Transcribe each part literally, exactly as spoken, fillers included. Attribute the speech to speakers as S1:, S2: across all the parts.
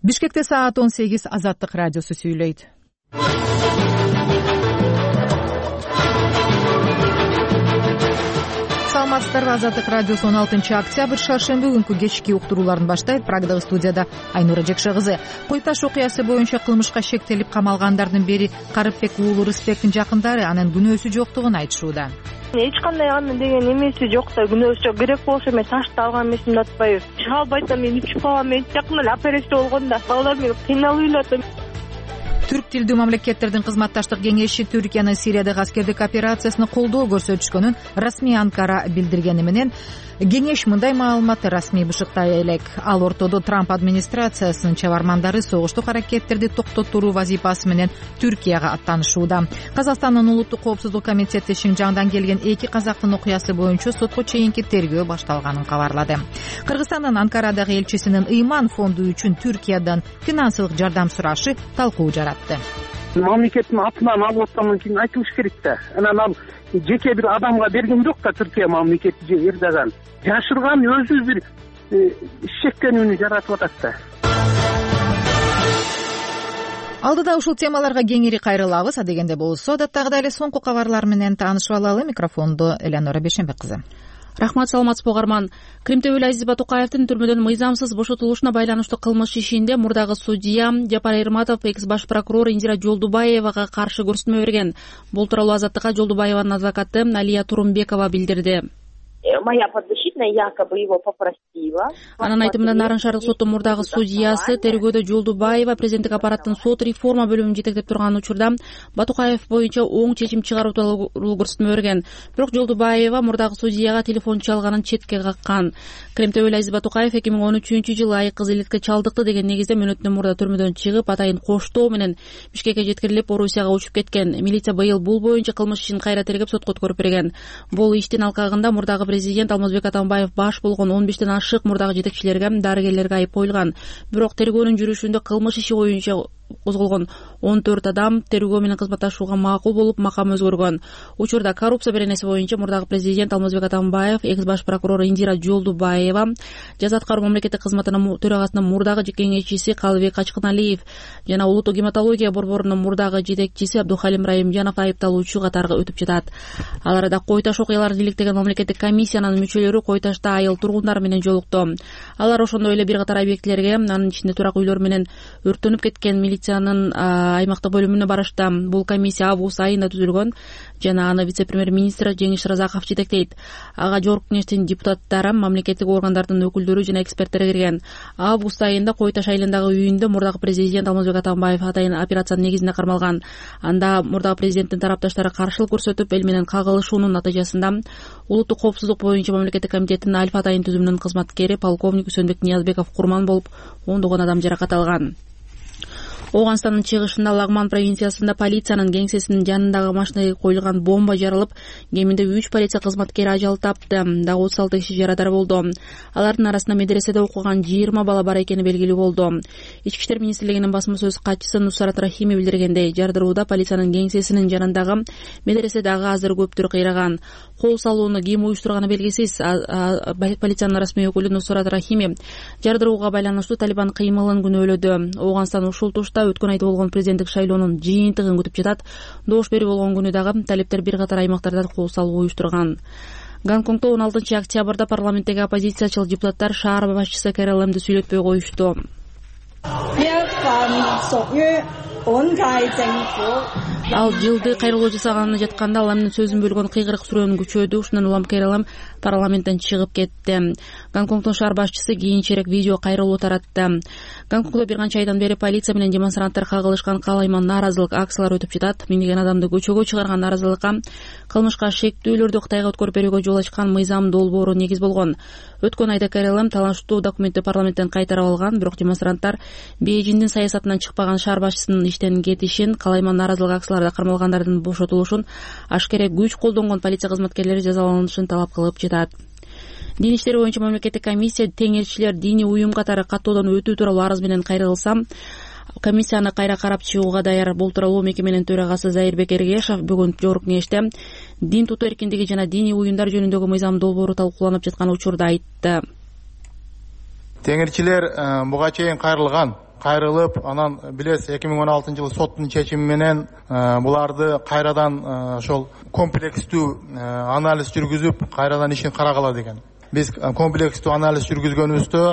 S1: Бишкекте саат он сегиз. Азаттык радиосу сүйлөйт. Саламатсыздарбы? Азаттык радиосу он алтынчы октябрь шаршемби күнкү кечки уктурууларын баштайт. Прогдагы студияда Айнура Жекше кызы. Кой Таш окуясы боюнча кылмышка шектелип камалгандардын бири Карыпбек уулу Рыспектин жакындары анын күнөөсү жоктугун айтышууда.
S2: Эч кандай анын деген эмеси жок да, күнөөсү жок. Керек болсо мен ташты алган эмесимди атпайбы. Чыга албайт да, мен ичип калам. Мен жакында эле операция болгон да. Балдар мени кыйналып эле.
S1: Түрк тилдүү мамлекеттердин кызматташтык кеңеши Түркиянын Сириядагы аскердик операциясына колдоо көрсөтүшкөнүн расмий Анкара билдиргени менен кеңеш мындай маалыматты расмий бышыктай элек. Ал ортодо Трамп администрациясынын чабармандары согуштук аракеттерди токтотуруу вазифасы менен Түркияга аттанышууда. Казакстандын улуттук коопсуздук комитети Шинжаңдан келген эки казактын окуясы боюнча сотко чейинки тергөө башталганын кабарлады. Кыргызстандын Анкарадагы элчисинин Ыйман фонду үчүн Түркиядан финансылык жардам сурашы талкуу жаратты.
S3: Мамлекеттин атынан алып аткандан кийин айтылыш керек да. Анан ал жеке бир адамга берген жок да, Түркия мамлекети же Эрдоган. Жашырган өзү бир ишеккенүүнү жаратып атат да.
S1: Алдыда ушул темаларга кеңири кайрылабыз. Адегенде болсо адаттагыдай эле соңку кабарлар менен таанышып алалы. Микрофонду Элеонора Бешенбек кызы.
S4: Рахмат, саламатсызбы угарман. Кримтөбөл Азиз Батукаевдин түрмөдөн мыйзамсыз бошотулушуна байланыштуу кылмыш ишинде мурдагы судья Жапар Эрматов экс баш прокурор Индира Жолдубаевага каршы көрсөтмө берген. Бул тууралуу Азаттыкка Жолдубаеванын адвокаты Алия Турумбекова билдирди.
S2: Моя подзащитная якобы его попросила.
S4: Анын айтымында Нарын шаардык соттун мурдагы судьясы тергөөдө Жолдубаева президенттик аппараттын сот реформа бөлүмүн жетектеп турган учурда Батукаев боюнча оң чечим чыгаруу тууралуу көрсөтмө берген. Бирок Жолдубаева мурдагы судьяга телефон чалганын четке каккан. Кремтөбөл Азиз Батукаев эки миң он үчүнчү жылы айыккыз иликке чалдыкты деген негизде мөөнөттөн мурда түрмөдөн чыгып, атайын коштоо менен Бишкекке жеткирилип, Орусияга учуп кеткен. Милиция быйыл бул боюнча кылмыш ишин кайра тергеп сотко өткөрүп берген. Бул иштин алкагында мурдагы президент Алмазбек Атамбаев баш болгон он бештен ашык мурдагы жетекчилерге, дарыгерлерге айып коюлган. Бирок тергөөнүн жүрүшүндө кылмыш иши боюнча козголгон он төрт адам тергөө менен кызматташууга макул болуп, макам өзгөргөн. Учурда коррупция беренеси боюнча мурдагы президент Алмазбек Атамбаев, экс баш прокурор Индира Жолдубаева, жаза аткаруу мамлекеттик кызматынын төрагасынын мурдагы кеңешчиси Калыбек Ачкыналиев жана улуттук гематология борборунун мурдагы жетекчиси Абдухалим Райымжанов айыпталуучу катарга өтүп жатат. Ал арада Кой Таш окуяларын иликтеген мамлекеттик комиссиянын мүчөлөрү Кой Ташта айыл тургундары менен жолукту. Алар ошондой эле бир катар объектилерге, анын ичинде турак үйлөр менен өрттөнүп кеткен милициянын аймактык бөлүмүнө барышты. Бул комиссия август айында түзүлгөн жана аны вице-премьер-министр Жеңиш Разаков жетектейт. Ага жогорку кеңештин депутаттары, мамлекеттик органдардын өкүлдөрү жана эксперттер кирген. Август айында Кой Таш айылындагы үйүндө мурдагы президент Алмазбек Атамбаев атайын операциянын негизинде кармалган. Анда мурдагы президенттин тарапташтары каршылык көрсөтүп, эл менен кагылышуунун натыйжасында улуттук коопсуздук боюнча мамлекеттик комитеттин Альфа атайын түзүмүнүн кызматкери полковник Үсөнбек Ниязбеков курман болуп, ондогон адам жаракат алган. Ооганстандын чыгышында Лагман провинциясында полициянын кеңсесинин жанындагы машинеге коюлган бомба жарылып, кеминде үч полиция кызматкери ажал тапты. Дагы отуз алты киши жарадар болду. Алардын арасында медреседе окуган жыйырма бала бар экени белгилүү болду. Ички иштер министрлигинин басма сөз катчысы Нусрат Рахими билдиргендей, жардырууда полициянын кеңсесинин жанындагы медреседагы азыр көптүр кыйраган. Кол салууну ким уюштурганы белгисиз. Полициянын расмий өкүлү Нусрат Рахими жардырууга байланыштуу Талибан кыймылын күнөөлөдү. Ооганстан ушул тушта өткөн айда болгон президенттик шайлоонун жыйынтыгын күтүп жатат. Добуш берүү болгон күнү дагы талиптер бир катар аймактарда кол салуу уюштурган. Гонконгдо он алтынчы октябрда парламенттеги оппозициячыл депутаттар шаар башчысы Кэри Лэмди сүйлөтпөй коюшту. Ал жылды кайрылуу жасаганына жатканда Ламдын сөзүн бөлгөн кыйгырык сүрөөнү күчөдү. Ушундан улам Кэри Лэм парламенттен чыгып кетти. Гонконгдун шаар башчысы кийинчерээк видео кайрылуу таратты. Гонконгдо бир канча айдан бери полиция менен демонстранттар кагылышкан калайма нааразылык акциялары өтүп жатат. Миңдеген адамды көчөгө чыгарган нааразылыкка кылмышка шектүүлөрдү Кытайга өткөрүп берүүгө жол ачкан мыйзам долбоору негиз болгон. Өткөн айда Кэри Лэм талаштуу документти парламенттен кайтарып алган, бирок демонстранттар Бейжиңдин саясатынан чыкпаган шаар башчысынын иштен кетишин, калайма нааразылык акцияларда кармалгандардын бошотулушун, ашкере күч колдонгон полиция кызматкерлери жазаланышын талап кылып жатат. Дин иштери боюнча мамлекеттик комиссия теңирчилер диний уюм катары каттоодон өтүү тууралуу арыз менен кайрылса, комиссияны кайра карап чыгууга даяр. Бул тууралуу мекеменин төрагасы Зайырбек Эргешов бүгүн жогорку кеңеште дин тутуу эркиндиги жана диний уюмдар жөнүндөгү мыйзам долбоору талкууланып жаткан учурда айтты.
S5: Теңирчилер буга чейин кайрылган кайрылып, анан билесиз эки миң он алтынчы жылы соттун чечими менен буларды кайрадан ошол комплекстүү анализ жүргүзүп, кайрадан ишин карагыла деген. Биз комплекстүү анализ жүргүзгөнүбүздө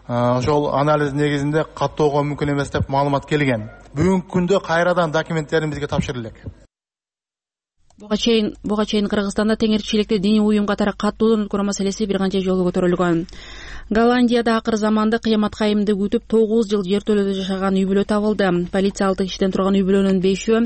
S5: ошол анализ негизинде каттоого мүмкүн эмес деп маалымат келген. Бүгүнкү күндө кайрадан документтерин бизге тапшырылат.
S4: Буга чейин буга чейин Кыргызстанда теңирчиликти диний уюм катары каттоодон өткөрүү маселеси бир канча жолу көтөрүлгөн. Голландияда акыр заманда кыямат кайымды күтүп тогуз жыл жертөлөдө жашаган үй бүлө табылды. Полиция алты кишиден турган үй бүлөнүн бешөө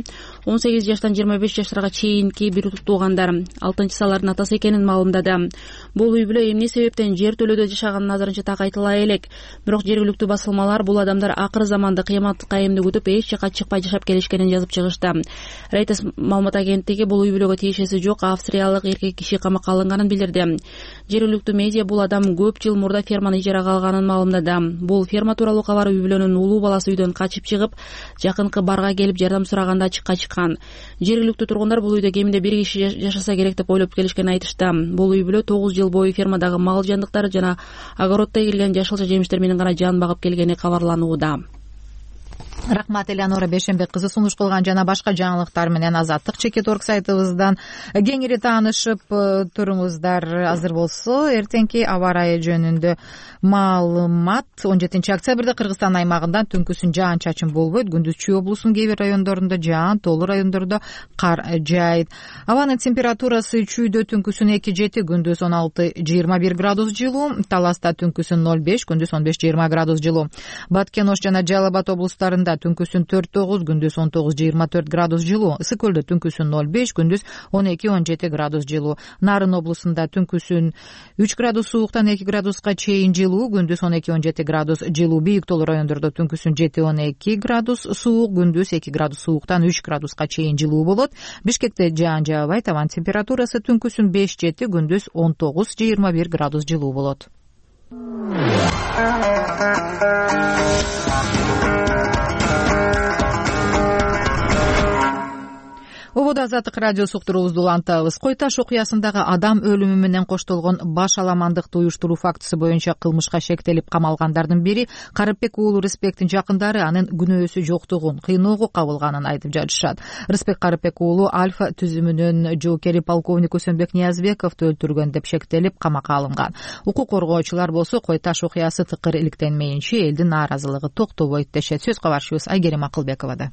S4: он сегиз жаштан жыйырма беш жаштарга чейинки бир туугандар. алтынчысы алардын атасы экенин маалымдады. Бул үй бүлө эмне себептен жертөлөдө жашаганын азырынча так айтыла элек. Бирок жергиликтүү басылмалар бул адамдар акыр заманда кыямат кайымды күтүп эч жака чыкпай жашап келишкенин жазып чыгышты. Reuters маалымат агенттиги бул үй бүлөгө тиешеси жок австриялык эркек киши камакка алынганын билдирди. Жергиликтүү медиа бул адам көп жыл мурда ферманы ижарага алганын маалымдады. Бул ферма тууралуу кабар үй бүлөнүн улуу баласы үйдөн качып чыгып, жакынкы барга келип жардам сураганда ачыкка чыккан. Жергиликтүү тургундар бул үйдө кеминде бир киши жашаса керек деп ойлоп келишкенин айтышты. Бул үй бүлө тогуз жыл бою фермадагы мал жандыктары жана огороддо эгилген жашылча жемиштер менен гана жан багып келгени кабарланууда.
S1: Рахмат Элеонора Бешенбек кызы сунуш кылган жана башка жаңылыктар менен Азаттык чекит орг сайтыбыздан кеңири таанышып туруңуздар. Азыр болсо эртеңки аба ырайы жөнүндө маалымат. он жетинчи октябрда Кыргызстан аймагында түнкүсүн жаан чачын болбойт. Күндүз Чүй облусунун кээ бир райондорунда жаан, тоолуу райондордо кар жаайт. Абанын температурасы Чүйдө түнкүсүн эки жети, күндүз он алты жыйырма бир градус жылуу, Таласта түнкүсүн ноль беш, күндүз он беш жыйырма градус жылуу. Баткен, Ош жана Жалал Абад облустарында түнкүсүн төрт тогуз, күндүз он тогуз жыйырма төрт градус жылуу. Ысык көлдө түнкүсүн ноль беш, күндүз он эки он жети градус жылуу. Нарын облусунда түнкүсүн үч градус сууктан эки градуска чейин жылуу, күндүз он эки он жети градус жылуу. Бийик тоолуу райондордо түнкүсүн жети он эки градус суук, күндүз эки градус сууктан үч градуска чейин жылуу болот. Бишкекте жаан жаабайт. Абанын температурасы түнкүсүн беш жети, күндүз он тогуз жыйырма бир градус жылуу болот. Ободо Азаттык радиосу уктуруубузду улантабыз. Кой Таш окуясындагы адам өлүмү менен коштолгон баш аламандыкты уюштуруу фактысы боюнча кылмышка шектелип камалгандардын бири Карыпбек уулу Рыспектин жакындары анын күнөөсү жоктугун, кыйноого кабылганын айтып жатышат. Рыспек Карыпбек уулу Альфа түзүмүнүн жоокери полковник Үсөнбек Ниязбековду өлтүргөн деп шектелип камакка алынган. Укук коргоочулар болсо Кой Таш окуясы тыкыр иликтенмейинче элдин нааразылыгы токтобойт дешет. Сөз кабарчыбыз Айгерим Акылбековада.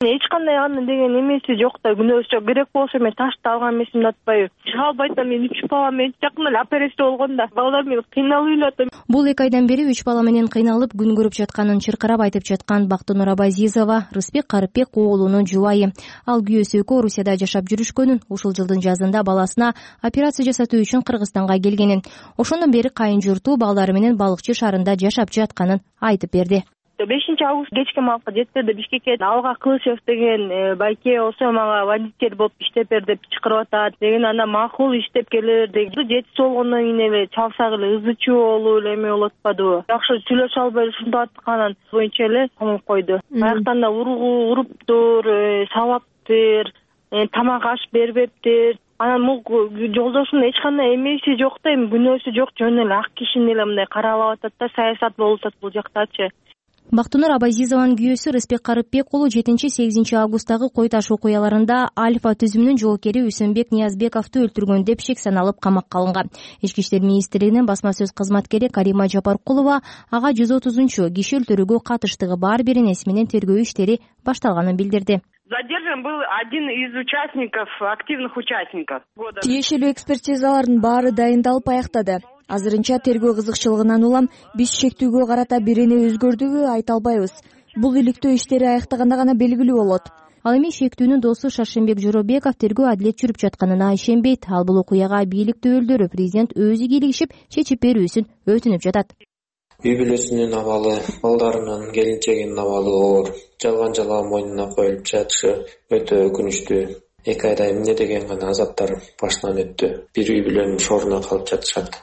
S2: Эч кандай анын деген эмеси жок да, күнөөсү жок. Керек болсо мен ташты алган эмесимди атпайбы. Шалбайт да, мен үч бала менен жакында эле операция болгон да. Балдар менен кыйналып эле.
S6: Бул эки айдан бери үч бала менен кыйналып күн көрүп жатканын чыркырап айтып жаткан Бактынур Абазизова Рыспек Карыпбек уулунун жубайы. Ал күйөөсү экөө Орусияда жашап жүрүшкөнүн, ушул жылдын жазында баласына операция жасатуу үчүн Кыргызстанга келгенин, ошондон бери кайын журту балдары менен Балыкчы шаарында жашап жатканын айтып берди.
S2: бешинчи август кечки маалга жеттерде Бишкекке Алга Кылычев деген байке болсо мага водитель болуп иштеп бер деп чакырып атат деген. Анда макул иштеп келер деген. Жетиси болгондон кийин эле чалсак эле ызы чуу болуп эле эме болуп атпадыбы. Жакшы сүйлөшө албай ушундай атканын боюнча эле камап койду. Аяктан да ургу уруптур, сабаптыр, тамак аш бербептир. Анан бул жолдошунун эч кандай эмеси жок да, эми күнөөсү жок, жөн эле ак кишини эле мындай каралап атат да, саясат болуп атат бул жактачы.
S6: Бактынур Абазизованын күйөөсү Рыспек Карыпбек уулу жетинчи сегизинчи августтагы Кой Таш окуяларында Альфа түзүмүнүн жоокери Үсөнбек Ниязбековду өлтүргөн деп шек саналып камакка алынган. Ички иштер министрлигинин басма сөз кызматкери Карима Жапаркулова ага жүз отузунчу киши өлтүрүүгө катыштыгы бар беренеси менен тергөө иштери башталганын билдирди.
S7: Задержан был один из участников, активных участников.
S8: Тиешелүү экспертизалардын баары дайындалып аяктады. Азырынча тергөө кызыкчылыгынан улам биз шектүүгө карата бирене өзгөрдүгү айта албайбыз. Бул иликтөө иштери аяктаганда гана белгилүү болот.
S6: Ал эми шектүүнүн досу Шаршембек Жоробеков тергөө адилет жүрүп жатканына ишенбейт. Ал бул окуяга бийлик өөлдөрү президент өзү кийлигишип чечип берүүсүн өтүнүп жатат.
S9: Үй бүлөсүнүн абалы, балдарынын, келинчегинин абалы оор. Жалган жалган мойнуна коюлуп жатышы өтө өкүнүчтүү. Эки айда эмне деген гана азаптар башынан өттү. Бир үй бүлөнүн шоруна калып жатышат.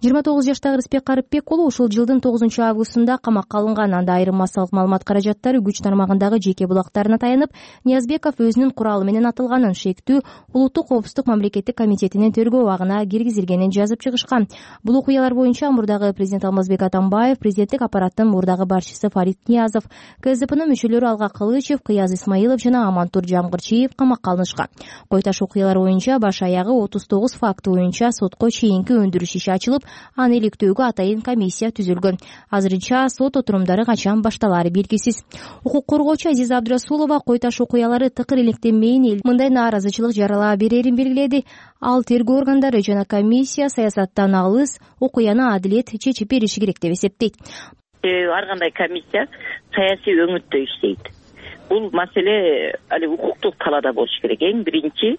S6: жыйырма тогуз жаштагы Рыспек Карыпбек уулу ушул жылдын тогузунчу августунда камакка алынган. Анда айрым массалык маалымат каражаттары күч тармагындагы жеке булактарына таянып, Ниязбеков өзүнүн куралы менен атылганын, шектүү улуттук коопсуздук мамлекеттик комитетинин тергөө абагына киргизилгенин жазып чыгышкан. Бул окуялар боюнча мурдагы президент Алмазбек Атамбаев, президенттик аппараттын мурдагы башчысы Фарид Ниязов, КСДПнын мүчөлөрү Алга Кылычев, Кыяз Исмаилов жана Амантур Жамгырчиев камакка алынышкан. Койташ окуялар боюнча баш аягы отуз тогуз факты боюнча сотко чейинки өндүрүш иши ачылып, аны иликтөөгө атайын комиссия түзүлгөн. Азырынча сот отурумдары качан башталаары белгисиз. Укук коргоочу Азиза Абдрасулова Койташ окуялары тыкыр иликтенмейин, мындай нааразычылык жарала берерин белгиледи. Ал тергөө органдары жана комиссия саясаттан алыс, окуяны адилет чечип бериши керек деп эсептейт.
S10: Ар кандай комиссия саясий өңүттө иштейт. Бул маселе али укуктук талаада болуш керек. Эң биринчи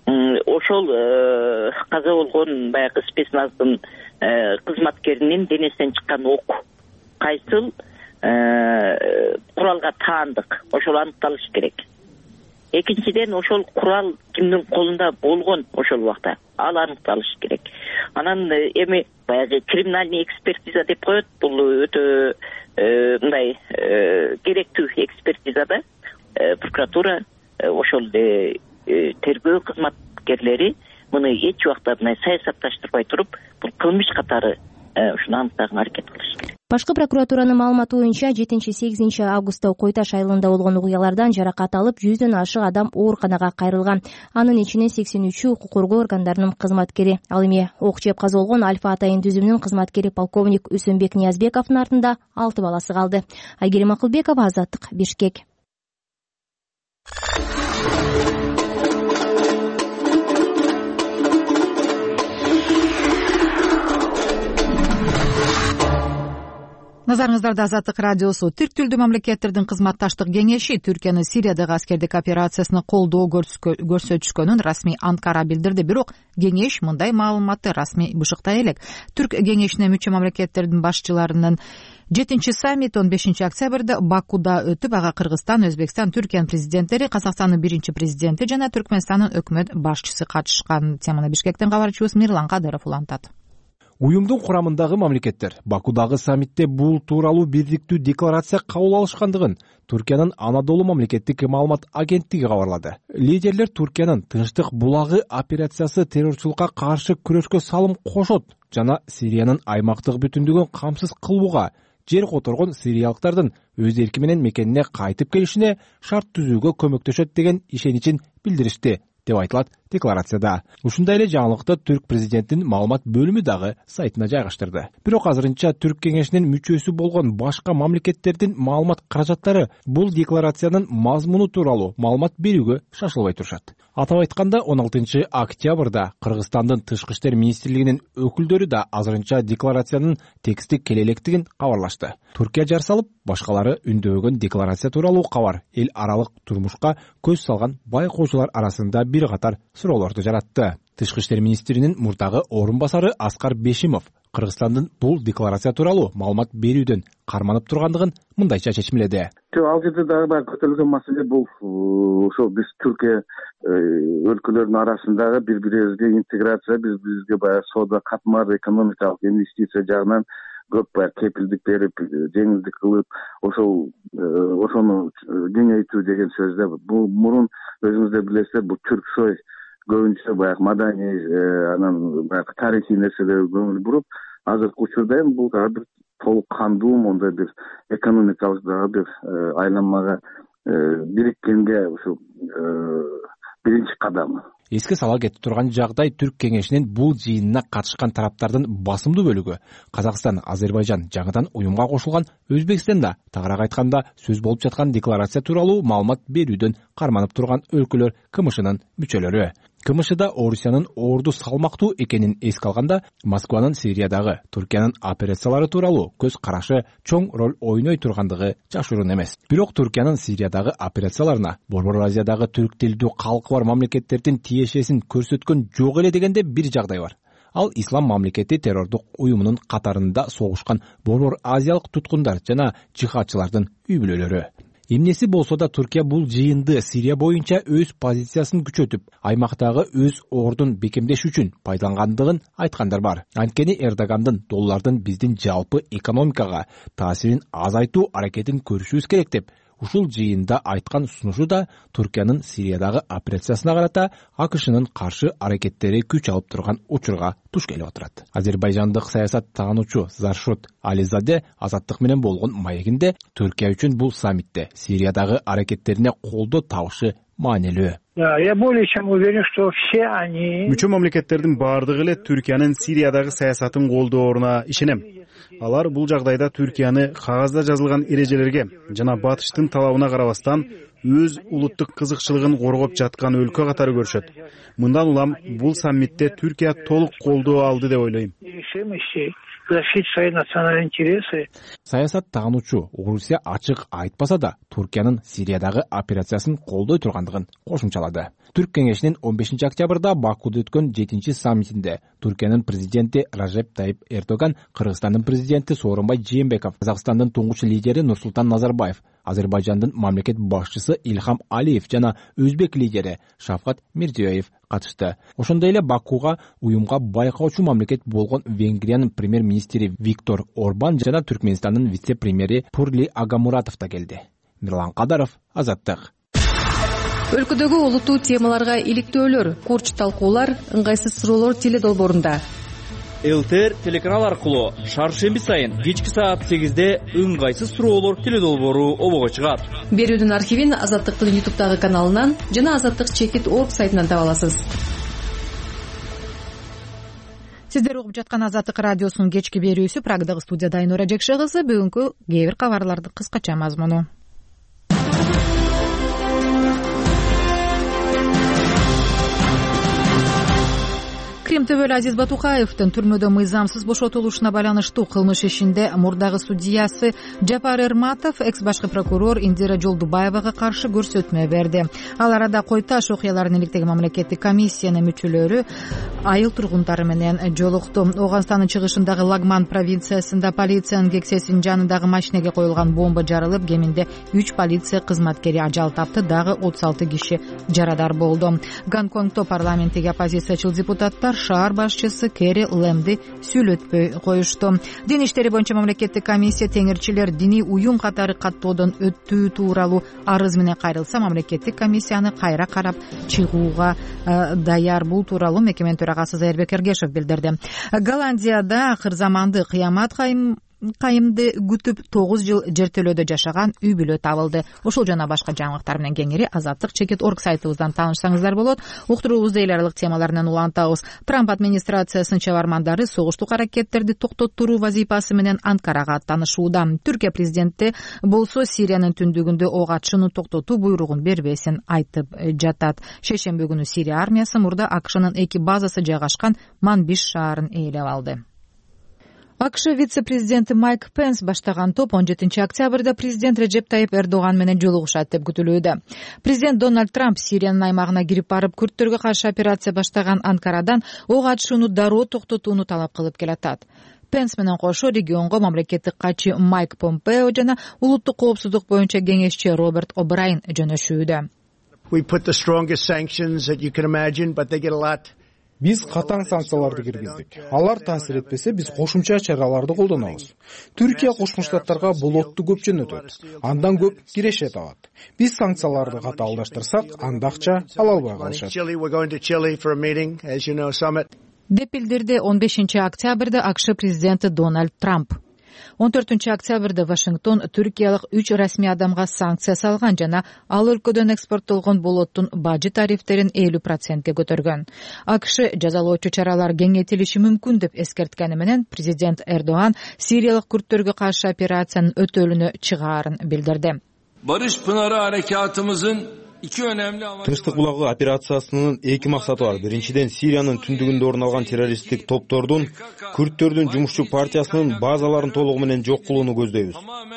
S10: ошол каза болгон баягы спецназдын кызматкеринин денесинен чыккан ок кайсыл куралга таандык, ошол аныкталыш керек. Экинчиден ошол курал кимдин колунда болгон ошол убакта, ал аныкталыш керек. Анан эми баягы криминальный экспертиза деп коет, бул өтө мындай керектүү экспертизада прокуратура ошол тергөө кызматкерлери муну эч убакта мындай саясатташтырбай туруп, бул кылмыш катары ушуну аныктаганга аракет кылыш керек.
S6: Башкы прокуратуранын маалыматы боюнча жетинчи-сегизинчи августта Койташ айылында болгон окуялардан жаракат алып, жүздөн ашык адам ооруканага кайрылган. Анын ичинен сексен үчү укук коргоо органдарынын кызматкери. Ал эми ок жеп каза болгон Альфа атайын түзүмүнүн кызматкери полковник Үсөнбек Ниязбековдун артында алты баласы калды. Айгерим Акылбекова, Азаттык, Бишкек.
S1: Назарыңыздарда Азаттык радиосу. Түрк тилдүү мамлекеттердин кызматташтык кеңеши Түркиянын Сириядагы аскердик операциясына колдоо көрсөтүшкөнүн расмий Анкара билдирди. Бирок кеңеш мындай маалыматты расмий бышыктай элек. Түрк кеңешине мүчө мамлекеттердин башчыларынын жетинчи саммити он бешинчи октябрда Бакуда өтүп, ага Кыргызстан, Өзбекстан, Түркиянын президенттери, Казакстандын биринчи президенти жана Түркмөнстандын өкмөт башчысы катышкан. Теманы Бишкектен кабарчыбыз Мирлан Кадыров улантат.
S11: Уюмдун курамындагы мамлекеттер Бакудагы саммитте бул тууралуу бирдиктүү декларация кабыл алышкандыгын Түркиянын Анадолу мамлекеттик маалымат агенттиги кабарлады. Лидерлер Түркиянын Тынчтык булагы операциясы террорчулукка каршы күрөшкө салым кошот жана Сириянын аймактык бүтүндүгүн камсыз кылууга, жер которгон сириялыктардын өз эрки менен мекенине кайтып келишине шарт түзүүгө көмөктөшөт деген ишеничин билдиришти деп айтылат декларацияда. Ушундай эле жаңылыкты Түрк президентинин маалымат бөлүмү дагы сайтына жайгаштырды. Бирок азырынча Түрк кеңешинин мүчөсү болгон башка мамлекеттердин маалымат каражаттары бул декларациянын мазмуну тууралуу маалымат берүүгө шашылбай турушат. Атап айтканда он алтынчы октябрда Кыргызстандын тышкы иштер министрлигинин өкүлдөрү да азырынча декларациянын тексти келелектигин кабарлашты. Түркия жар салып, башкалары үндөгөн декларация тууралуу кабар эл аралык турмушка көз салган байкоочулар арасында бир катар суроолорду жаратты. Тышкы иштер министринин мурдагы орун басары Аскар Бешимов Кыргызстандын бул декларация тууралуу маалымат берүүдөн карманып тургандыгын мындайча чечимледи.
S12: Ал жерде дагы баягы көтөрүлгөн маселе бул ошо биз Түркия өлкөлөрүнүн арасындагы бири бирибизге интеграция, биз бизге баягы соода катмар, экономикалык инвестиция жагынан көп баягы кепилдик берип, жеңилдик кылып, ошол ошону кеңейтүү деген сөздө бул мурун өзүңүздөр билесиздер, бул Түрксой көбүнчө баягы маданий, анан баягы тарыхый нерселерге көңүл буруп, азыркы учурда эми бул дагы бир толук кандуу мондай бир экономикалык дагы бир айланмага бириккенге ушул биринчи кадам.
S11: Эске сала кетип турган жагдай, Түрк кеңешинин бул жыйынына катышкан тараптардын басымдуу бөлүгү Казакстан, Азербайжан, жаңыдан уюмга кошулган Өзбекстанда, тагыраак айтканда, сөз болуп жаткан декларация тууралуу маалымат берүүдөн карманып турган өлкөлөр КМШнын мүчөлөрү. КМШда Орусиянын орду салмактуу экенин эске алганда, Москванын Сириядагы Түркиянын операциялары тууралуу көз карашы чоң роль ойной тургандыгы жашыруун эмес. Бирок Түркиянын Сириядагы операцияларына Борбор Азиядагы түрк тилдүү калкы бар мамлекеттердин тиешесин көрсөткөн жок эле дегенде бир жагдай бар. Ал Ислам мамлекети террордук уюмунун катарында согушкан Борбор Азиялык туткундар жана жихадчылардын үй бүлөлөрү. Эмнеси болсо да Түркия бул жыйынды Сирия боюнча өз позициясын күчөтүп, аймактагы өз ордун бекемдеш үчүн пайдалангандыгын айткандар бар. Анткени Эрдогандын доллардын биздин жалпы экономикага таасирин азайтуу аракетин көрүшүбүз керек деп ушул жыйында айткан сунушу да Түркиянын Сириядагы операциясына карата АКШнын каршы аракеттери күч алып турган учурга туш келип отурат. Азербайжандык саясат таануучу Заршот Ализаде Азаттык менен болгон маегинде Түркия үчүн бул саммитте Сириядагы аракеттерине колдоо табышы маанилүү.
S13: Да, я более чем уверен, что все они...
S14: Мүчө мамлекеттердин баардыгы эле Түркиянын Сириядагы саясатын колдооруна ишенем. Алар бул жагдайда Түркияны кагазда жазылган эрежелерге жана батыштын талабына карабастан өз улуттук кызыкчылыгын коргоп жаткан өлкө катары көрүшөт. Мындан улам бул саммитте Түркия толук колдоо алды деп ойлойм.
S11: Саясат таануучу Орусия ачык айтпаса да Түркиянын Сириядагы операциясын колдой тургандыгын кошумчалады. Түрк кеңешинин он бешинчи октябрда Бакуде өткөн жетинчи саммитинде Түркиянын президенти Ражеп Тайип Эрдоган, Кыргызстандын президенти Сооронбай Жээнбеков, Казакстандын туңгуч лидери Нурсултан Назарбаев, Азербайжандын мамлекет башчысы Ильхам Алиев жана өзбек лидери Шавкат Мирзиёев катышты. Ошондой эле Бакуга уюмга байкоочу мамлекет болгон Венгриянын премьер-министри Виктор Орбан жана Түркмөнстандын вице-премьери Пурли Агамуратов да келди. Мирлан Кадаров, Азаттык.
S15: Өлкөдөгү олуттуу темаларга иликтөөлөр, курч талкуулар, ыңгайсыз суроолор теле долбоорунда.
S16: ЛТР телеканал аркылуу шаршемби сайын кечки саат сегизде ыңгайсыз суроолор теле долбоору обого чыгат.
S15: Берүүнүн архивин Азаттыктын ютубтагы каналынан жана азаттык чекит точка орг сайтынан таба аласыз.
S1: Сиздер угуп жаткан Азаттык радиосунун кечки берүүсү. Прагдагы студияда Айнура Жекше кызы. Бүгүнкү кээ бир кабарлардын кыскача мазмуну. Крим төбөлү Азиз Батукаевдин түрмөдө мыйзамсыз бошотулушуна байланыштуу кылмыш ишинде мурдагы судьясы Жапар Эрматов экс башкы прокурор Индира Жолдубаевага каршы көрсөтмө берди. Ал арада Койташ окуяларын иликтеген мамлекеттик комиссиянын мүчөлөрү айыл тургундары менен жолукту. Оганстандын чыгышындагы Лагман провинциясында полициянын кексесинин жанындагы машинеге коюлган бомба жарылып, кеминде үч полиция кызматкери ажал тапты, дагы отуз алты киши жарадар болду. Гонконгдо парламенттеги оппозициячыл депутаттар шаар башчысы Кери Лэмди сүйлөтпөй коюшту. Дин иштери боюнча мамлекеттик комиссия теңирчилер диний уюм катары каттоодон өттүү тууралуу арыз менен кайрылса, мамлекеттик комиссияны кайра карап чыгууга даяр. Бул тууралуу мекеменин төрагасы Зайырбек Эргешев билдирди. Голландияда акыр заманды кыямат кайым кайымды күтүп тогуз жыл жертөлөөдө жашаган үй бүлө табылды. Ошол жана башка жаңылыктар менен кеңири азаттык чекит точка орг сайтыбыздан таанышсаңыздар болот. Уктуруубузду эл аралык темаларынан улантабыз. Трамп администрациясынын чабармандары согуштук аракеттерди токтоттуруу вазифасы менен Анкарага аттанышууда. Түркия президенти болсо Сириянын түндүгүндө ок атышууну токтотуу буйругун бербесин айтып жатат. Шейшемби күнү Сирия армиясы мурда АКШнын эки базасы жайгашкан Манбиш шаарын ээлеп алды. АКШ вице-президенти Майк Пенс баштаган топ он жетинчи октябрда президент Режеп Тайип Эрдоган менен жолугушат деп күтүлүүдө. Президент Дональд Трамп Сириянын аймагына кирип барып, күрттөргө каршы операция баштаган Анкарадан ок атышууну дароо токтотууну талап кылып келатат. Пенс менен кошо регионго мамлекеттик катчы Майк Помпео жана улуттук коопсуздук боюнча кеңешчи Роберт О'Брайен жөнөшүүдө.
S17: Биз катаң санкцияларды киргиздик. Алар таасир этпесе, биз кошумча чараларды колдонобуз. Түркия Кошмо Штаттарга болотту көп жөнөтөт. Андан көп кирешет алат. Биз санкцияларды катаалдаштырсак, анда акча ала албай калышат.
S1: Деп билдирди он бешинчи октябрда АКШ президенти Дональд Трамп. он төртүнчү октябрда Вашингтон түркиялык үч расмий адамга санкция салган жана ал өлкөдөн экспорттолгон болоттун бажы тарифтерин элүү процентке көтөргөн. АКШ жазалоочу чаралар кеңейтилиши мүмкүн деп эскерткени менен президент Эрдоган сириялык күрттөргө каршы операциянын өтөлүнө чыгаарын билдирди.
S18: Barış Pınarı harekatımızın
S19: Тынчтык булагы операциясынын эки максаты бар. Биринчиден, Сириянын түндүгүндө орун алган террористтик топтордун, күрттөрдүн жумушчу партиясынын базаларын толугу менен жок кылууну көздөйбүз.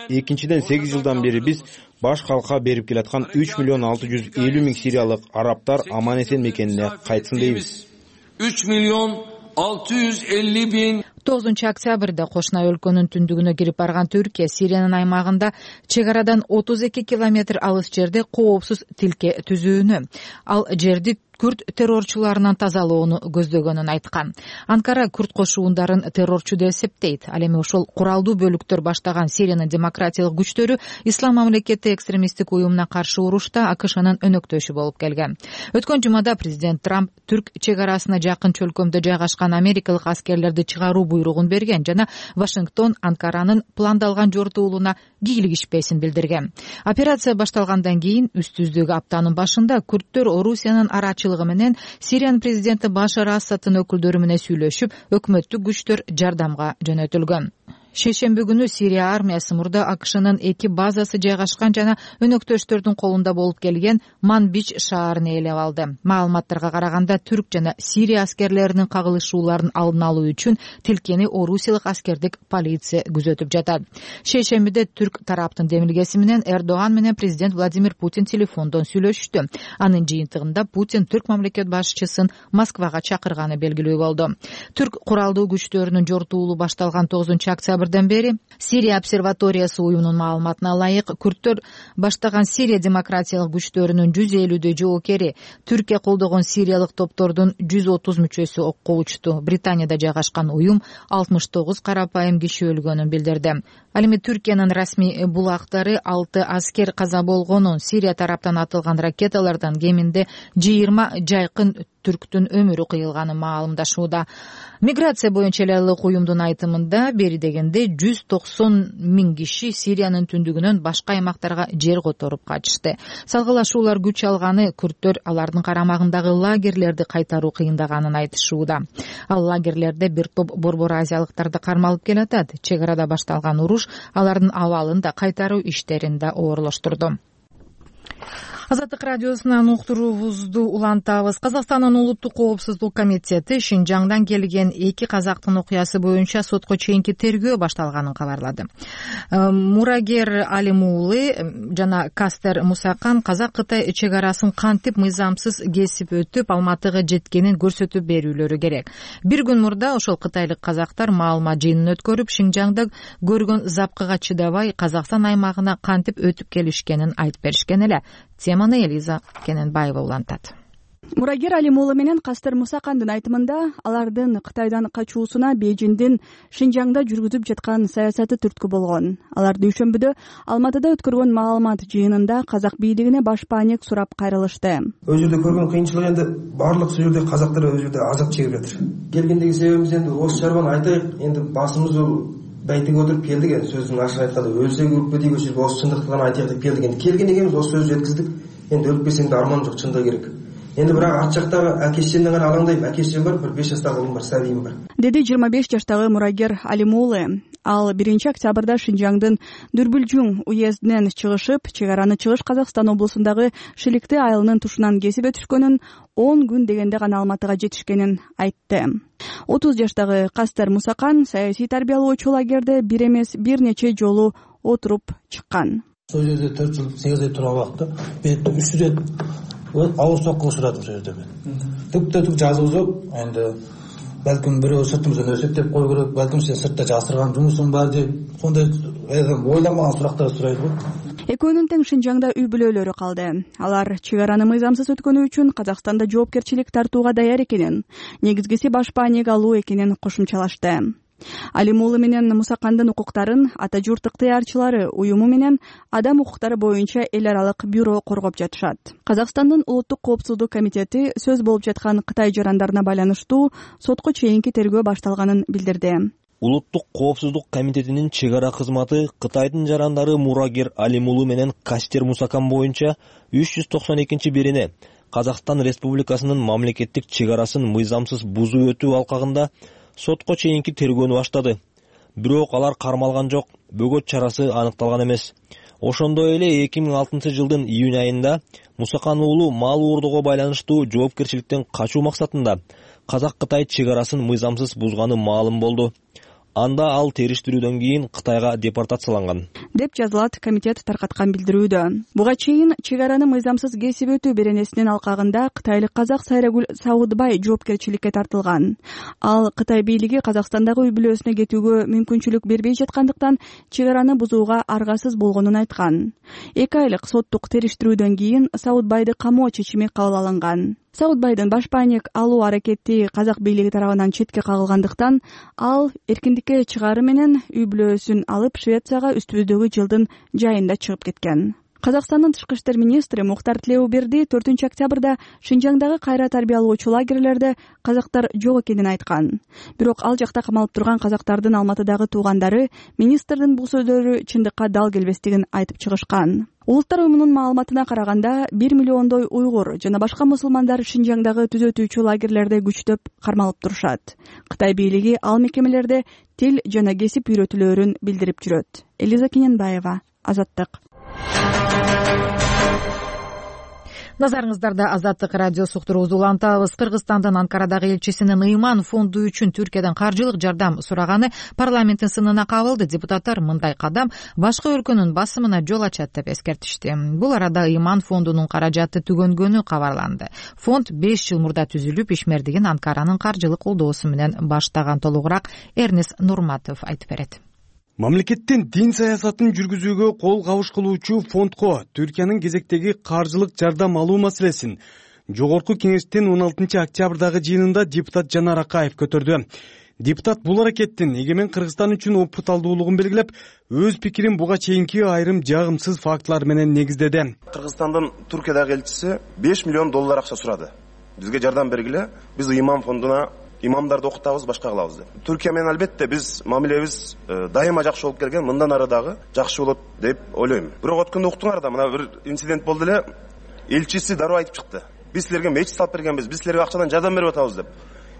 S19: Экинчиден, сегиз жылдан бери биз баш калкка берип келаткан үч миллион алты жүз элүү миң сириялык арабтар аман эсен мекенине кайтсын дейбиз.
S18: үч миллион алты жүз элүү миң
S1: тогузунчу октябрда кошуна өлкөнүн түндүгүнө кирип барган Түркия Сириянын аймагында чек арадан отуз эки километр алыс жерде коопсуз тилке түзүүнү, ал жерди күрд террорчуларынан тазалоону көздөгөнүн айткан. Анкара күрд кошуундарын террорчу деп эсептейт. Ал эми ошол куралдуу бөлүктөр баштаган Сириянын демократиялык күчтөрү Ислам мамлекети экстремисттик уюмуна каршы урушта АКШнын өнөктөшү болуп келген. Өткөн жумада президент Трамп түрк чек арасына жакын чөлкөмдө жайгашкан америкалык аскерлерди чыгаруу буйругун берген жана Вашингтон Анкаранын пландалган жортуулуна кийлигишпесин билдирген. Операция башталгандан кийин үстүздөгү аптанын башында күрдтөр Орусиянын арачылыгы менен Сириянын президенти Башар Асадтын өкүлдөрү менен сүйлөшүп, өкмөттүк күчтөр жардамга жөнөтүлгөн. Шейшемби күнү Сирия армиясы мурда АКШнын эки базасы жайгашкан жана өнөктөштөрдүн колунда болуп келген Манбич шаарын ээлеп алды. Маалыматтарга караганда түрк жана Сирия аскерлеринин кагылышууларын алдын алуу үчүн тилкени орусиялык аскердик полиция күзөтүп жатат. Шейшембиде түрк тараптын демилгеси менен Эрдоган менен президент Владимир Путин телефондон сүйлөшүштү. Анын жыйынтыгында Путин түрк мамлекет башчысын Москвага чакырганы белгилүү болду. Түрк куралдуу күчтөрүнүн жортуулу башталган тогузунчу октябрь бери Сирия обсерваториясы уюмунун маалыматына ылайык күрдтөр баштаган Сирия демократиялык күчтөрүнүн жүз элүүдөй жоокери, Түркия колдогон сириялык топтордун жүз отуз мүчөсү окко учту. Британияда жайгашкан уюм алтымыш тогуз карапайым киши өлгөнүн билдирди. Ал эми Түркиянын расмий булактары алты аскер каза болгонун, Сирия тараптан атылган ракеталардан кеминде жыйырма жайкын түрктүн өмүрү кыйылганын маалымдашууда. Миграция боюнча эле ылык уюмдун айтымында бери дегенде жүз токсон миң киши Сириянын түндүгүнөн башка аймактарга жер которуп качышты. Салгылашуулар күч алганы күрдтөр алардын карамагындагы лагерлерди кайтаруу кыйындаганын айтышууда. Ал лагерлерде бир топ борбор азиялыктарды кармалып келатат. Чек арада башталган уруш алардын абалын да кайтаруу иштерин да оорлоштурду. Азаттык радиосунан уктуруубузду улантабыз. Казакстандын улуттук коопсуздук комитети Шинжаңдан келген эки казактын окуясы боюнча сотко чейинки тергөө башталганын кабарлады. Мурагер Алимуулы жана Кастер Мусакан казак-кытай чек арасын кантип мыйзамсыз кесип өтүп, Алматыга жеткенин көрсөтүп берүүлөрү керек. Бир күн мурда ошол кытайлык казактар маалымат жыйынын өткөрүп, Шинжаңда көргөн запкыга чыдабай Казакстан аймагына кантип өтүп келишкенин айтып беришкен эле. Теманы Элиза Кененбаева улантат.
S20: Мурагер Алимуулы менен Кастер Мусакандын айтымында алардын Кытайдан качуусуна Бейжиңдин Шинжаңда жүргүзүп жаткан саясаты түрткү болгон. Алар дүйшөмбүдө Алматыда өткөргөн маалымат жыйынында казак бийлигине баш паанек сурап кайрылышты.
S21: Өз жерде көргөн кыйынчылык энди баардык сол жерде казактар өз жерде азап чегип жатыр. Келгендеги себебибиз энди осы чарбаны айтайык. Энди басымыз бул байтиге отуруп келдик, энд сөздүн ашыгын айтканда өлсөк өлүп дейбиз, ошол жерге осы чындыкты гана айтайык деп келдик. Энди келген экенбиз, осы сөздү жеткиздик. Энди өлүп кетсең да арман жок, чындыгы керек. Энди бирок ат жактагы акешемден гана алаңдайм. Акешем бар, бир беш жаштагы улум бар, сабийим бар.
S20: Деди жыйырма беш жаштагы Мурагер Алимуулы. Ал биринчи октябрда Шинжаңдын Дүрбүлжүң уездинен чыгышып, чек араны Чыгыш Казакстан облусундагы Шиликти айылынын тушунан кесип өтүшкөнүн, он күн дегенде гана Алматыга жетишкенин айтты. отуз жаштагы Кастер Мусакан саясий тарбиялоочу лагерде бир эмес бир нече жолу отуруп чыккан.
S21: Сол жерде төрт жыл сегиз ай турган убакта мен үч рет ауыр соккуга учурадым сол жерде мен. Түптө түк жазуу жок. Энди балким бирөө сыртымыздан өсөктөп кою керек, балким сен сыртта жасырган жумушуң бар деп, сондай ойламаган сурактар сурайт го.
S20: Экөөнүн тең Шинжаңда үй бүлөлөрү калды. Алар чек араны мыйзамсыз өткөнү үчүн Казакстанда жоопкерчилик тартууга даяр экенин, негизгиси баш паанек алуу экенин кошумчалашты. Алимуулы менен Мусакандын укуктарын Ата журт ыктыярчылары уюму менен адам укуктары боюнча эл аралык бюро коргоп жатышат. Казакстандын улуттук коопсуздук комитети сөз болуп жаткан Кытай жарандарына байланыштуу сотко чейинки тергөө башталганын билдирди.
S22: Улуттук коопсуздук комитетинин чек ара кызматы Кытайдын жарандары Мурагер Алимуулы менен Кастер Мусакан боюнча үч жүз токсон экинчи бирине Казакстан Республикасынын мамлекеттик чек арасын мыйзамсыз бузуу өтүү алкагында сотко чейинки тергөөнү баштады. Бирок алар кармалган жок, бөгөт чарасы аныкталган эмес. Ошондой эле эки миң алтынчы жылдын июнь айында Мусакан уулу мал уурдоого байланыштуу жоопкерчиликтен качуу максатында Казак-Кытай чек арасын мыйзамсыз бузганы маалым болду. анда ал териштирүүдөн кийин Кытайга депортацияланган
S20: деп жазылат комитет таркаткан билдирүүдө. Буга чейин чек араны мыйзамсыз кесип өтүү беренесинин алкагында кытайлык казак Сайрагүл Саудбай жоопкерчиликке тартылган. Ал Кытай бийлиги Казакстандагы үй бүлөсүнө кетүүгө мүмкүнчүлүк бербей жаткандыктан чек араны бузууга аргасыз болгонун айткан. Эки айлык соттук териштирүүдөн кийин Саудбайды камоо чечими кабыл алынган. Саудбайдын баш паник алуу аракети казак бийлиги тарабынан четке кагылгандыктан ал эркиндикке чыгаары менен үй бүлөсүн алып Швецияга үстүбүздөгү жылдын жайында чыгып кеткен. Казакстандын тышкы иштер министри Мухтар Тилеуберди төртүнчү октябрда Шинжаңдагы кайра тарбиялоочу лагерлерде казактар жок экенин айткан. Бирок ал жакта камалып турган казактардын Алматыдагы туугандары министрдин бул сөздөрү чындыкка дал келбестигин айтып чыгышкан. Улуттар уюмунун маалыматына караганда бир миллиондой уйгур жана башка мусулмандар Шинжаңдагы түзөтүүчү лагерлерде күчтөп кармалып турушат. Кытай бийлиги ал мекемелерде тил жана кесип үйрөтүүлөрүн билдирип жүрөт. Элиза Кененбаева, Азаттык.
S1: Назарыңыздарда Азаттык радиосу уктуруубузду улантабыз. Кыргызстандын Анкарадагы элчисинин Ыйман фонду үчүн Түркиядан каржылык жардам сураганы парламенттин сынына кабылды. Депутаттар мындай кадам башка өлкөнүн басымына жол ачат деп эскертишти. Бул арада Ыйман фондунун каражаты түгөнгөнү кабарланды. Фонд беш жыл мурда түзүлүп, ишмердигин Анкаранын каржылык колдоосу менен баштаган. Толугураак Эрнис Нурматов айтып берет.
S3: Мамлекеттин дин саясатын жүргүзүүгө кол кабыш кылуучу фондко Түркиянын кезектеги каржылык жардам алуу маселесин Жогорку кеңештин он алтынчы октябрдагы жыйынында депутат Жанар Акаев көтөрдү. Депутат бул аракеттин эгемен Кыргызстан үчүн опурталдуулугун белгилеп, өз пикирин буга чейинки айрым жагымсыз фактылар менен негиздеди.
S5: Кыргызстандын Түркиядагы элчиси беш миллион доллар акча сурады. Бизге жардам бергиле, биз Ыйман фондуна имамдарды окутабыз, башка кылабыз деп. Түркия менен албетте биз мамилебиз дайыма жакшы болуп келген, мындан ары дагы жакшы болот деп ойлойм. Бирок өткөндө уктуңар да мына бир инцидент болду эле. Элчиси дароо айтып чыкты. Биз силерге мечит салып бергенбиз, биз силерге акчадан жардам берип атабыз деп.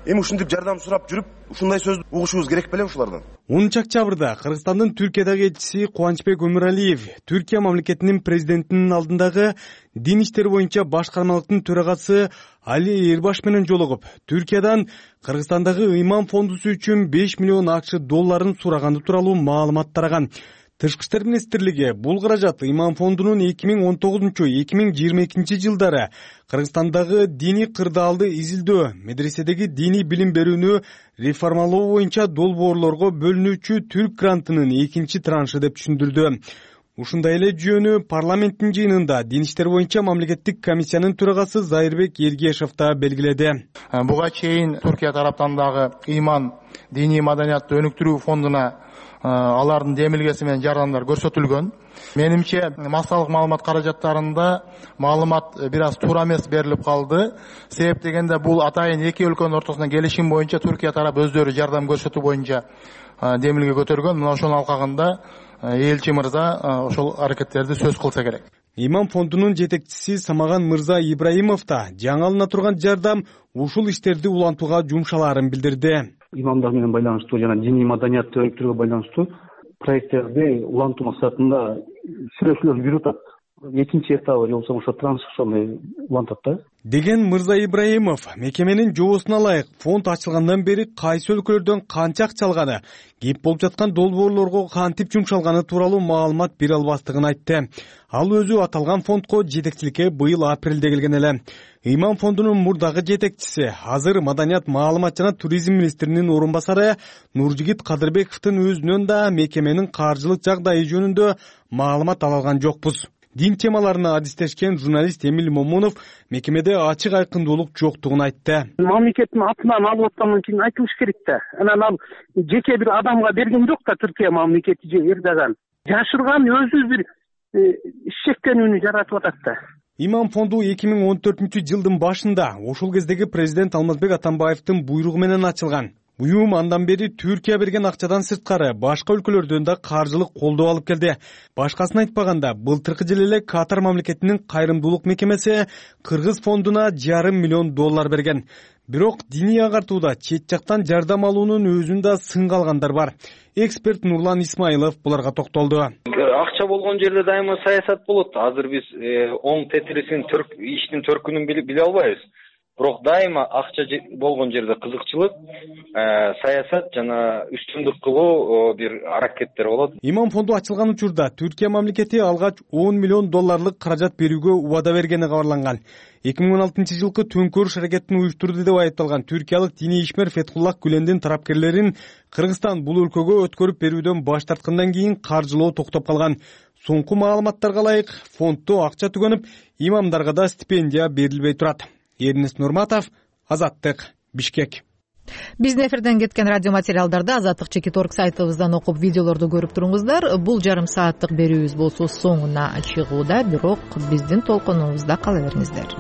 S5: Эми ушинтип жардам сурап жүрүп, ушундай сөз угушубуз керек беле ушулардан?
S3: онунчу октябрда Кыргызстандын Түркиядагы элчиси Кубанычбек Өмүралиев Түркия мамлекетинин президентинин алдындагы дин иштери боюнча башкармалыктын төрагасы Али Эрбаш менен жолугуп, Түркиядан Кыргызстандагы Ыйман фондусу үчүн беш миллион акча долларын сураганды тууралуу маалымат тараган. Тышкы иштер министрлиги бул каражат Ыйман фондунун эки миң он тогузунчу — эки миң жыйырма экинчи жылдары Кыргызстандагы диний кырдаалды изилдөө, медреседеги диний билим берүүнү реформалоо боюнча долбоорлорго бөлүнүүчү Түрк грантынын экинчи траншы деп түшүндүрдү. Ушундай эле жүйөнү парламенттин жыйынында дин иштер боюнча мамлекеттик комиссиянын төрагасы Зайырбек Ергешев да белгиледи.
S23: Буга чейин Түркия тараптан дагы Ыйман диний маданиятты өнүктүрүү фондуна алардын демилгеси менен жардамдар көрсөтүлгөн. Менимче массалык маалымат каражаттарында маалымат бир аз туура эмес берилип калды. Себеп дегенде бул атайын эки өлкөнүн ортосунда келишим боюнча Түркия тарап өздөрү жардам көрсөтүү боюнча демилге көтөргөн. Мына ошонун алкагында элчи мырза ошол аракеттерди сөз кылса керек.
S3: Ыйман фондунун жетекчиси Самаган Мырза Ибраимов да жаңы алына турган жардам ушул иштерди улантууга жумшалаарын билдирди.
S24: Имамдар менен байланыштуу жана диний маданиятты өнүктүрүүгө байланыштуу проекттерди улантуу максатында сүйлөшүүлөр жүрүп атат. Экинчи этабы же болбосо ошо транш ошондой улантат да.
S3: Деген Мырза Ибраимов мекеменин жоосуна ылайык фонд ачылгандан бери кайсы өлкөлөрдөн канча акча алганы, кеп болуп жаткан долбоорлорго кантип жумшалганы тууралуу маалымат бере албастыгын айтты. Ал өзү аталган фондко жетекчиликке быйыл апрелде келген эле. Ыйман фондунун мурдагы жетекчиси, азыр маданият, маалымат жана туризм министринин орун басары Нуржигит Кадырбековдун өзүнөн да мекеменин каржылык жагдайы жөнүндө маалымат ала алган жокпуз. Дин темаларына адистешкен журналист Эмил Момунов мекемеде ачык айкындуулук жоктугун айтты.
S25: Мамлекеттин атынан алып аткандан кийин айтылыш керек да. Анан ал жеке бир адамга берген жок да, Түркия мамлекети же Эрдоган. Жашырган өзү бир ишчектенүүнү жаратып атат да.
S3: Ыйман фонду эки миң он төртүнчү жылдын башында ошол кездеги президент Алмазбек Атамбаевдин буйругу менен ачылган. Уюм андан бери Түркия берген акчадан сырткары башка өлкөлөрдөн да каржылык колдоо алып келди. Башкасын айтпаганда, былтыркы жылы эле Катар мамлекетинин кайрымдуулук мекемеси Кыргыз фондуна жарым миллион доллар берген. Бирок диний агартууда чет жактан жардам алуунун өзүндө сынга алгандар бар. Эксперт Нурлан Исмаилов буларга токтолду.
S26: Акча болгон жерде дайыма саясат болот. Азыр биз оң тетирисин, иштин төркүнүн биле албайбыз. бирок дайыма акча болгон жерде кызыкчылык, саясат жана үстүндүк кылуу бир аракеттер болот.
S3: Иман фонду ачылган учурда Түркия мамлекети алгач он миллион долларлык каражат берүүгө убада бергени кабарланган. эки миң он алтынчы жылкы төңкөрүш аракетин уюштурду деп айыпталган түркиялык диний ишмер Фетхуллах Гүлендин тарапкерлерин Кыргызстан бул өлкөгө өткөрүп берүүдөн баш тарткандан кийин каржылоо токтоп калган. Соңку маалыматтарга ылайык фонддо акча түгөнүп, имамдарга да стипендия берилбей турат. Эрнест Нурматов, Азаттык, Бишкек.
S1: Биздин эфирден кеткен радио материалдарды Азаттык чекит орг сайтыбыздан окуп, видеолорду көрүп туруңуздар. Бул жарым сааттык берүүбүз болсо соңуна чыгууда, бирок биздин толкунубузда кала бериңиздер.